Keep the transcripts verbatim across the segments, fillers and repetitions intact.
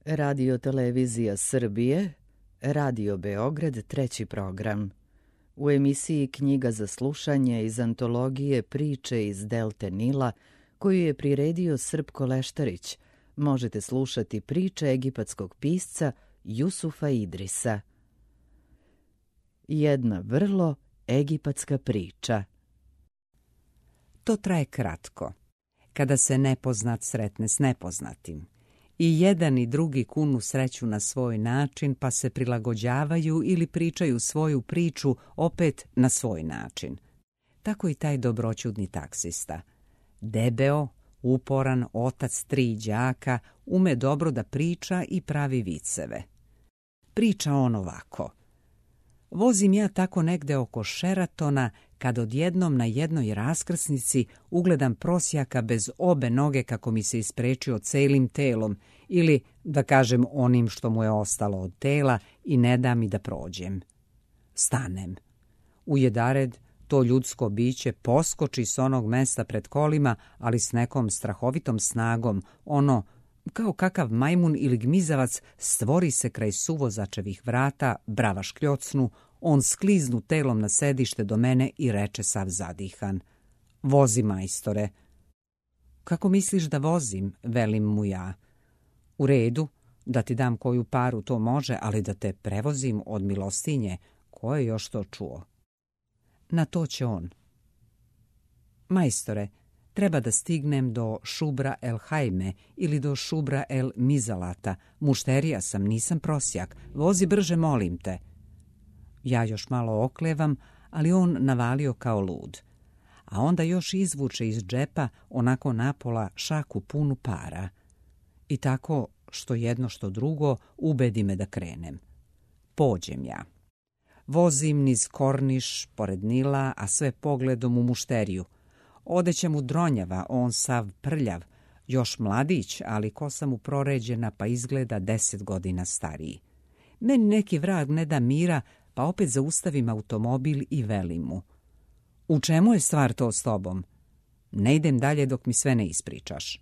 Radio Televizija Srbije, Radio Beograd, treći program. U emisiji Knjiga za slušanje iz antologije Priče iz Delte Nila, koju je priredio Srpko Leštarić, možete slušati priče egipatskog pisca Jusufa Idrisa. Jedna vrlo egipatska priča. To traje kratko, kada se nepoznat sretne s nepoznatim. I jedan i drugi kunu sreću na svoj način, pa se prilagođavaju ili pričaju svoju priču opet na svoj način. Tako i taj dobroćudni taksista. Debeo, uporan, otac tri đaka, ume dobro da priča i pravi viceve. Priča on ovako. Vozim ja tako negde oko Šeratona, kad odjednom na jednoj raskrsnici ugledam prosjaka bez obe noge kako mi se isprečio celim telom, ili, da kažem, onim što mu je ostalo od tela i ne da mi da prođem. Stanem. Ujedared, to ljudsko biće poskoči s onog mesta pred kolima, ali s nekom strahovitom snagom, ono, kao kakav majmun ili gmizavac, stvori se kraj suvozačevih vrata, brava škljocnu, on skliznu telom na sedište do mene i reče sav zadihan. Vozi, majstore. Kako misliš da vozim, velim mu ja. U redu, da ti dam koju paru to može, ali da te prevozim od milostinje, ko je još to čuo? Na to će on. Majstore, treba da stignem do Šubra el Hajme ili do Šubra el Mizalata. Mušterija sam, nisam prosjak. Vozi brže, molim te. Ja još malo oklevam, ali on navalio kao lud. A onda još izvuče iz džepa onako napola šaku punu para. I tako, što jedno što drugo, ubedi me da krenem. Pođem ja. Vozim niz Korniš, pored Nila, a sve pogledom u mušteriju. Odeća mu dronjava, on sav prljav, još mladić, ali kosa mu proređena pa izgleda deset godina stariji. Meni neki vrag ne da mira, pa opet zaustavim automobil i velim mu. U čemu je stvar to s tobom? Ne idem dalje dok mi sve ne ispričaš.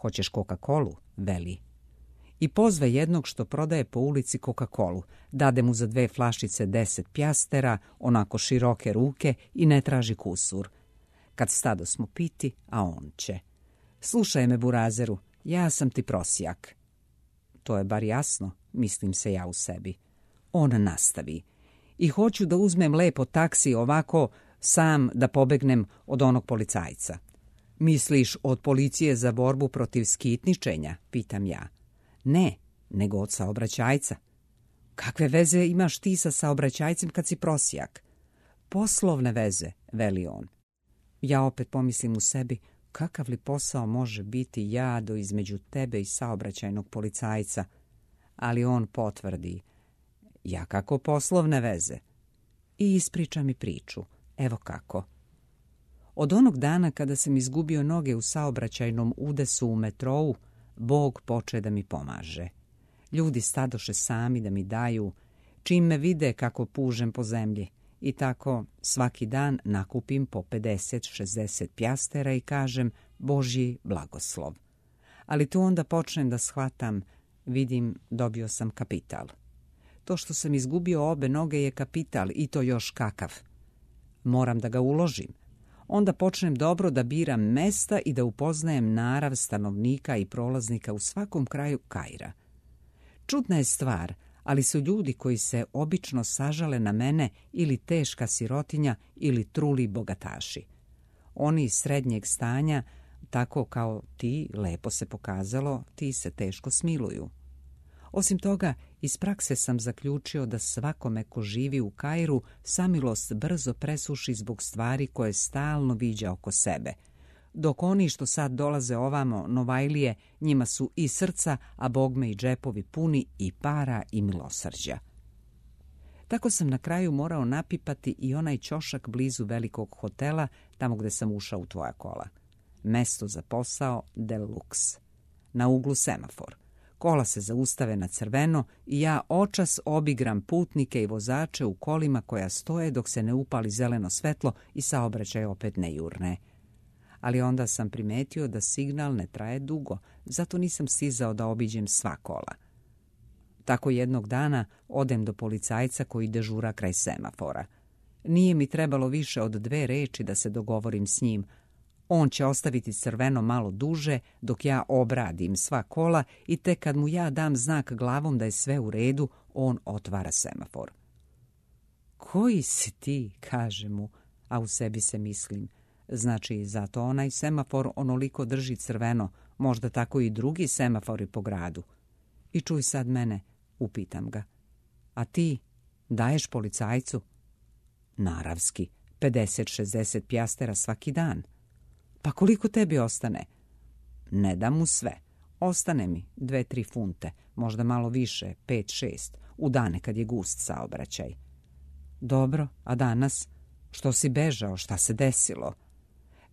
Hoćeš Coca-Colu? Veli. I pozve jednog što prodaje po ulici Coca-Colu. Dade mu za dve flašice deset pjastera, onako široke ruke i ne traži kusur. Kad stado smo piti, a on će. Slušaj me, burazeru, ja sam ti prosjak. To je bar jasno, mislim se ja u sebi. On nastavi. I hoću da uzmem lepo taksi ovako sam da pobegnem od onog policajca. Misliš od policije za borbu protiv skitničenja, pitam ja. Ne, nego od saobraćajca. Kakve veze imaš ti sa saobraćajcem kad si prosjak? Poslovne veze, veli on. Ja opet pomislim u sebi, kakav li posao može biti jado između tebe i saobraćajnog policajca? Ali on potvrdi, ja kako poslovne veze? I ispriča mi priču, evo kako. Od onog dana kada sam izgubio noge u saobraćajnom udesu u metrou, Bog poče da mi pomaže. Ljudi stadoše sami da mi daju, čim me vide kako pužem po zemlji. I tako svaki dan nakupim po pedeset šezdeset pjastera i kažem Božji blagoslov. Ali tu onda počnem da shvatam, vidim, dobio sam kapital. To što sam izgubio obe noge je kapital i to još kakav. Moram da ga uložim. Onda počnem dobro da biram mesta i da upoznajem narav stanovnika i prolaznika u svakom kraju Kaira. Čudna je stvar, ali su ljudi koji se obično sažale na mene ili teška sirotinja ili truli bogataši. Oni iz srednjeg stanja, tako kao ti, lepo se pokazalo, ti se teško smiluju. Osim toga, iz prakse sam zaključio da svakome ko živi u Kairu samilost brzo presuši zbog stvari koje stalno viđa oko sebe. Dok oni što sad dolaze ovamo, Novajlije, njima su i srca, a bogme i džepovi puni i para i milosrđa. Tako sam na kraju morao napipati i onaj ćošak blizu velikog hotela, tamo gde sam ušao u tvoja kola. Mesto za posao Deluxe. Na uglu semafor. Kola se zaustave na crveno i ja očas obigram putnike i vozače u kolima koja stoje dok se ne upali zeleno svetlo i saobraćaj opet ne jurne. ali onda sam primetio da signal ne traje dugo, zato nisam stizao da obiđem sva kola. Tako jednog dana odem do policajca koji dežura kraj semafora. Nije mi trebalo više od dve reči da se dogovorim s njim. On će ostaviti crveno malo duže dok ja obradim sva kola i tek kad mu ja dam znak glavom da je sve u redu, on otvara semafor. Koji si ti, kaže mu, a u sebi se mislim. Znači, zato onaj semafor onoliko drži crveno, možda tako i drugi semafori po gradu. I čuj sad mene, upitam ga. A ti daješ policajcu? Naravski, pedeset šezdeset pjastera svaki dan. Pa koliko tebi ostane? Ne dam mu sve. Ostane mi dve, tri funte, možda malo više, pet, šest, u dane kad je gust saobraćaj. Dobro, a danas? Što si bežao, šta se desilo?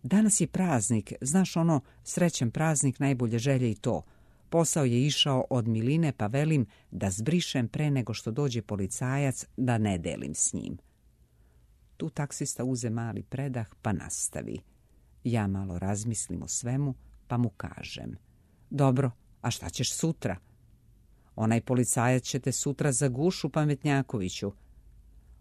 Danas je praznik, znaš ono, srećan praznik, najbolje želje i to. Posao je išao od miline, pa velim da zbrišem pre nego što dođe policajac, da ne delim s njim. Tu taksista uze mali predah, pa nastavi. Ja malo razmislim o svemu, pa mu kažem. Dobro, a šta ćeš sutra? Onaj policajac će te sutra za gušu, pametnjakoviću.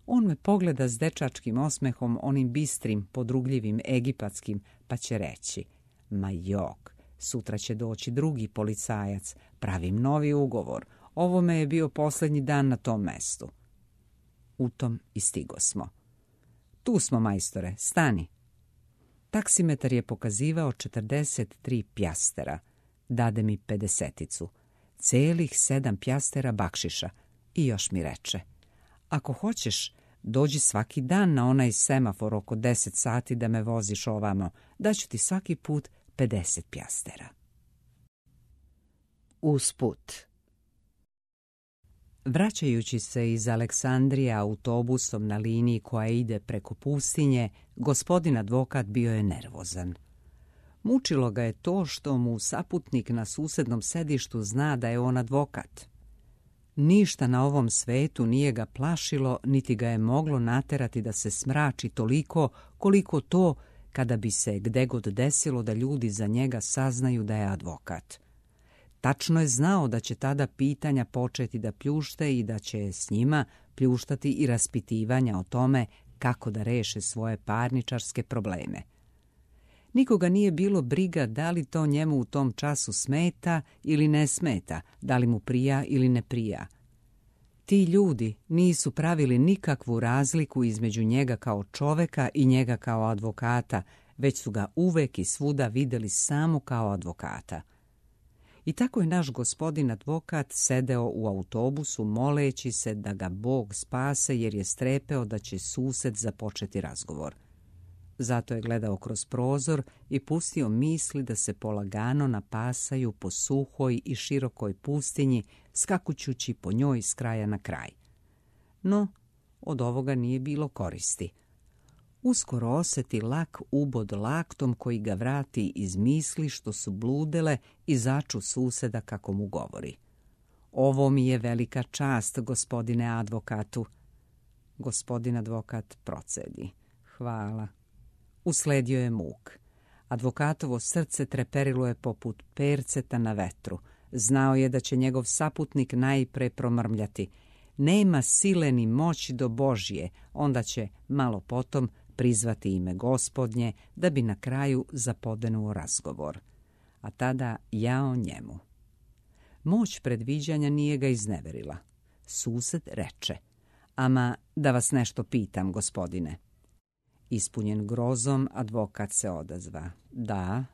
On me pogleda s dečačkim osmehom, onim bistrim, podrugljivim, egipatskim, pa će reći. Ma jok, sutra će doći drugi policajac, pravim novi ugovor. Ovo me je bio posljednji dan na tom mestu. U tom i stigo smo. Tu smo, majstore, stani. Taksimetar je pokazivao četrdeset tri pjastera. Dade mi pedeseticu. Celih sedam pjastera bakšiša. I još mi reče. Ako hoćeš, dođi svaki dan na onaj semafor oko deset sati da me voziš ovamo. Daću ti svaki put pedeset pjastera. Usput. Vraćajući se iz Aleksandrije autobusom na liniji koja ide preko pustinje, gospodin advokat bio je nervozan. Mučilo ga je to što mu saputnik na susednom sedištu zna da je on advokat. Ništa na ovom svetu nije ga plašilo, niti ga je moglo naterati da se smrači toliko koliko to kada bi se gde god desilo da ljudi za njega saznaju da je advokat. Tačno je znao da će tada pitanja početi da pljušte i da će s njima pljuštati i raspitivanja o tome kako da reše svoje parničarske probleme. Nikoga nije bilo briga da li to njemu u tom času smeta ili ne smeta, da li mu prija ili ne prija. Ti ljudi nisu pravili nikakvu razliku između njega kao čoveka i njega kao advokata, već su ga uvek i svuda videli samo kao advokata. I tako je naš gospodin advokat sedeo u autobusu moleći se da ga Bog spase jer je strepeo da će sused započeti razgovor. Zato je gledao kroz prozor i pustio misli da se polagano napasaju po suhoj i širokoj pustinji, skakućući po njoj s kraja na kraj. No, od ovoga nije bilo koristi. Uskoro osjeti lak ubod laktom koji ga vrati iz misli što su bludele i začu suseda kako mu govori. Ovo mi je velika čast, gospodine advokatu. Gospodin advokat procedi. Hvala. Usledio je muk. Advokatovo srce treperilo je poput perceta na vetru. Znao je da će njegov saputnik najpre promrmljati. Nema sile ni moći do Božje, onda će malo potom prizvati ime Gospodnje da bi na kraju zapodenuo razgovor. A tada jao njemu. Moć predviđanja nije ga izneverila. Sused reče. Ama da vas nešto pitam, gospodine. Ispunjen grozom, advokat se odazva. Da.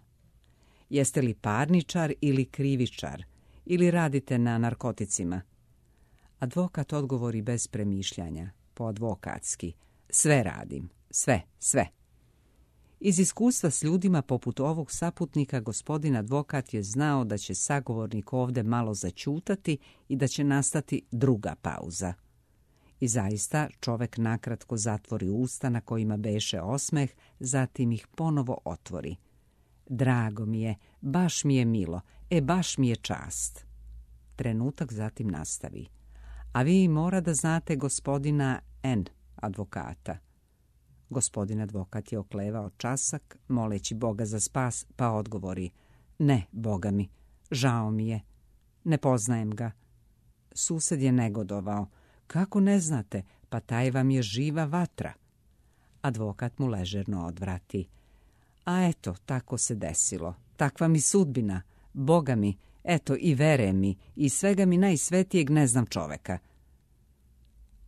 Jeste li parničar ili krivičar? Ili radite na narkoticima? Advokat odgovori bez premišljanja, po advokatski. Sve radim. Sve, sve. Iz iskustva s ljudima poput ovog saputnika gospodin advokat je znao da će sagovornik ovde malo zaćutati i da će nastati druga pauza. I zaista čovek nakratko zatvori usta na kojima beše osmeh, zatim ih ponovo otvori. Drago mi je, baš mi je milo, e baš mi je čast. Trenutak zatim nastavi. A vi mora da znate gospodina N, advokata. Gospodin advokat je oklevao časak, moleći Boga za spas, pa odgovori: ne, Boga mi, žao mi je, ne poznajem ga. Sused je negodovao: kako ne znate, pa taj vam je živa vatra. Advokat mu ležerno odvrati: a eto, tako se desilo, takva mi sudbina, Boga mi, eto i vere mi, i svega mi najsvetijeg ne znam čoveka.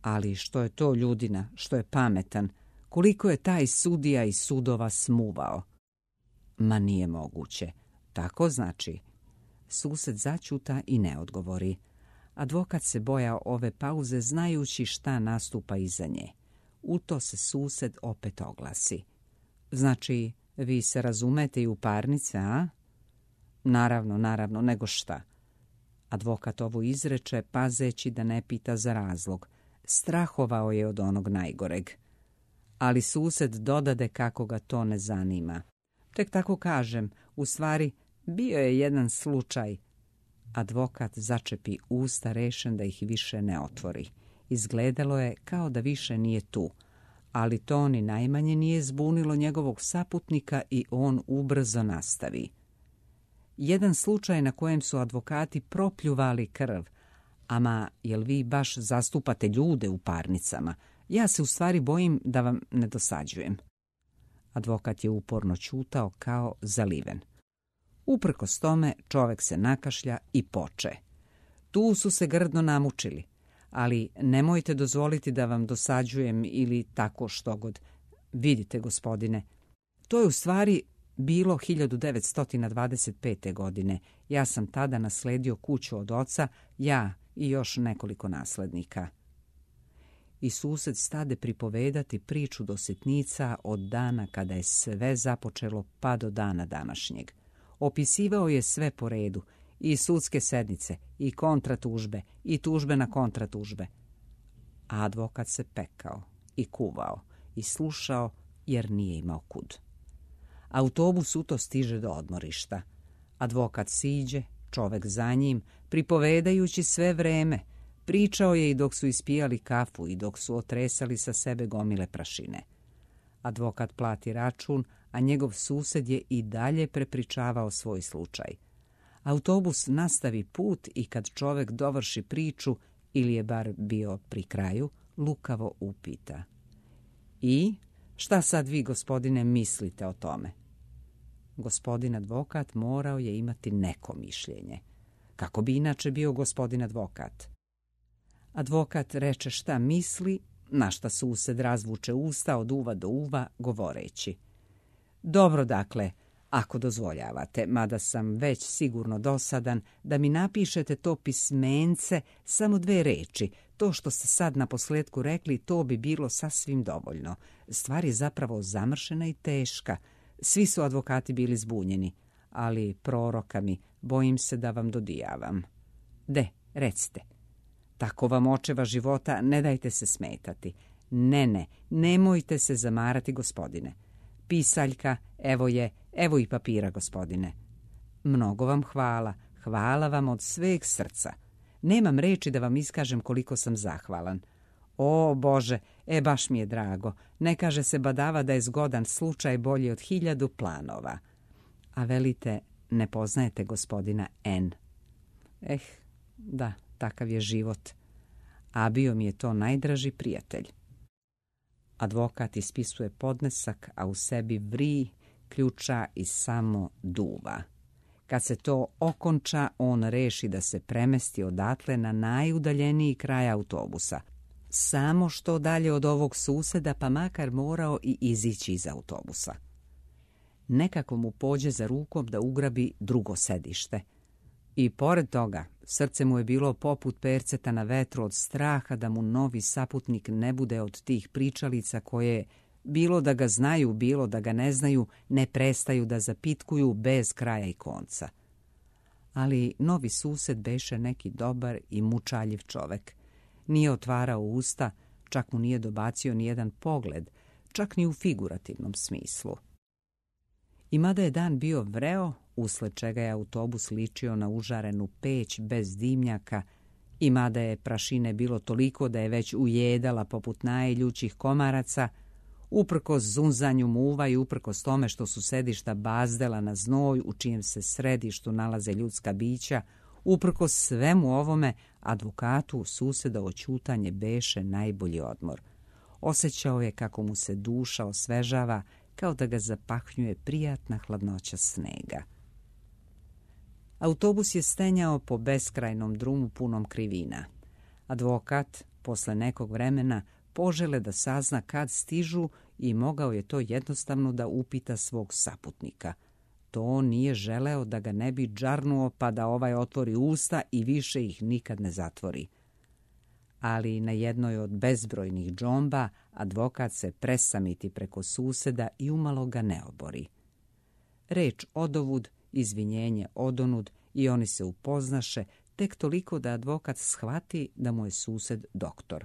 Ali što je to ljudina, što je pametan, koliko je taj sudija i sudova smuvao. Ma nije moguće, tako znači. Sused začuta i ne odgovori. Advokat se bojao ove pauze, znajući šta nastupa iza nje. U to se sused opet oglasi: znači, vi se razumete i u parnice, a? Naravno, naravno, nego šta. Advokat ovo izreče, pazeći da ne pita za razlog. Strahovao je od onog najgoreg. Ali sused dodade kako ga to ne zanima. Tek tako kažem, u stvari, bio je jedan slučaj. Advokat začepi usta, rešen da ih više ne otvori. Izgledalo je kao da više nije tu, ali to ni najmanje nije zbunilo njegovog saputnika i on ubrzo nastavi. Jedan slučaj na kojem su advokati propljuvali krv. Ama, jel vi baš zastupate ljude u parnicama? Ja se u stvari bojim da vam ne dosađujem. Advokat je uporno ćutao kao zaliven. Uprkos tome čovek se nakašlja i poče. Tu su se grdno namučili, ali nemojte dozvoliti da vam dosađujem ili tako štogod. Vidite, gospodine, to je u stvari bilo hiljadu devetsto dvadeset pete. godine. Ja sam tada nasledio kuću od oca, ja i još nekoliko naslednika. I sused stade pripovedati priču do sitnica od dana kada je sve započelo pa do dana današnjeg. Opisivao je sve po redu, i sudske sednice, i kontratužbe, i tužbe na kontratužbe. A advokat se pekao i kuvao i slušao jer nije imao kud. Autobus uto stiže do odmorišta. Advokat siđe, čovek za njim, pripovedajući sve vreme. Pričao je i dok su ispijali kafu i dok su otresali sa sebe gomile prašine. Advokat plati račun, a njegov sused je i dalje prepričavao svoj slučaj. Autobus nastavi put i kad čovek dovrši priču, ili je bar bio pri kraju, lukavo upita: i šta sad vi, gospodine, mislite o tome? Gospodin advokat morao je imati neko mišljenje. Kako bi inače bio gospodin advokat? Advokat reče šta misli, na šta sused razvuče usta od uva do uva, govoreći: dobro, dakle, ako dozvoljavate, mada sam već sigurno dosadan, da mi napišete to pismence, samo dve reči. To što ste sad na posledku rekli, to bi bilo sasvim dovoljno. Stvar je zapravo zamršena i teška. Svi su advokati bili zbunjeni, ali proroka mi, bojim se da vam dodijavam. De, recite. Tako vam očeva života, ne dajte se smetati. Ne, ne, nemojte se zamarati, gospodine. Pisaljka, evo je, evo i papira, gospodine. Mnogo vam hvala, hvala vam od sveg srca. Nemam reči da vam iskažem koliko sam zahvalan. O, Bože, e baš mi je drago. Ne kaže se badava da je zgodan slučaj bolji od hiljadu planova. A velite, ne poznajete gospodina N. Eh, da, takav je život. A bio mi je to najdraži prijatelj. Advokat ispisuje podnesak, a u sebi vri, ključa i samo duva. Kad se to okonča, on reši da se premesti odatle na najudaljeniji kraj autobusa. Samo što dalje od ovog suseda, pa makar morao i izići iz autobusa. Nekako mu pođe za rukom da ugrabi drugo sedište. I pored toga, srce mu je bilo poput perceta na vetru od straha da mu novi saputnik ne bude od tih pričalica koje, bilo da ga znaju, bilo da ga ne znaju, ne prestaju da zapitkuju bez kraja i konca. Ali novi sused beše neki dobar i mučaljiv čovek. Nije otvarao usta, čak mu nije dobacio ni jedan pogled, čak ni u figurativnom smislu. I mada je dan bio vreo, usled čega je autobus ličio na užarenu peć bez dimnjaka, i mada je prašine bilo toliko da je već ujedala poput najeljućih komaraca, Uprkos zunzanju muva i uprkos tome što su sedišta bazdela na znoj u čijem se središtu nalaze ljudska bića, uprkos svemu ovome, advokatu susedovo ćutanje beše najbolji odmor. Osjećao je kako mu se duša osvežava, kao da ga zapahnjuje prijatna hladnoća snega. Autobus je stenjao po beskrajnom drumu punom krivina. Advokat, posle nekog vremena, požele da sazna kad stižu i mogao je to jednostavno da upita svog saputnika. To nije želeo da ga ne bi džarnuo pa da ovaj otvori usta i više ih nikad ne zatvori. Ali na jednoj od bezbrojnih džomba advokat se presamiti preko suseda i umalo ga ne obori. Reč odovud, izvinjenje odonud i oni se upoznaše tek toliko da advokat shvati da mu je sused doktor.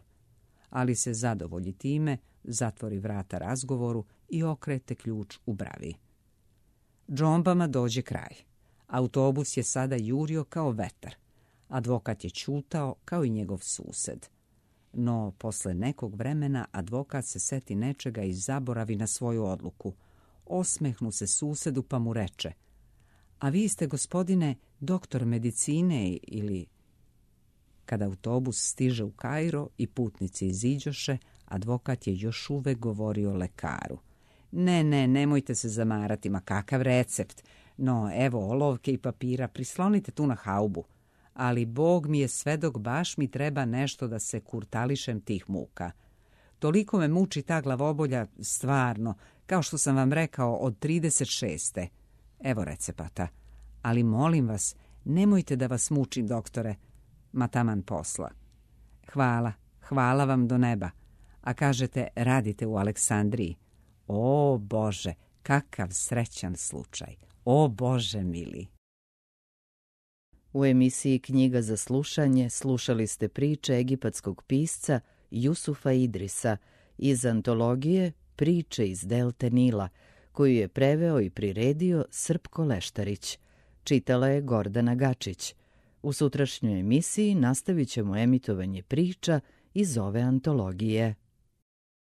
Ali se zadovolji time, zatvori vrata razgovoru i okrete ključ u bravi. Džombama dođe kraj. Autobus je sada jurio kao vetar. Advokat je ćutao kao i njegov sused. No, posle nekog vremena advokat se seti nečega i zaboravi na svoju odluku. Osmehnu se susedu pa mu reče: "A vi ste, gospodine, doktor medicine ili..." Kada autobus stiže u Kairo i putnici iziđoše, advokat je još uvek govorio lekaru: "Ne, ne, nemojte se zamarati, ma kakav recept. No, evo olovke i papira, prislonite tu na haubu. Ali Bog mi je svedok, baš mi treba nešto da se kurtališem tih muka. Toliko me muči ta glavobolja, stvarno, kao što sam vam rekao, od trideset šeste. Evo recepata. Ali molim vas, nemojte da vas mučim, doktore, ma taman posla." "Hvala, hvala vam do neba. A kažete, radite u Aleksandriji. O Bože, kakav srećan slučaj. O Bože mili." U emisiji Knjiga za slušanje slušali ste priče egipatskog pisca Jusufa Idrisa iz antologije Priče iz delte Nila, koju je preveo i priredio Srpko Leštarić. Čitala je Gordana Gačić. U sutrašnjoj emisiji nastavit ćemo emitovanje priča iz ove antologije.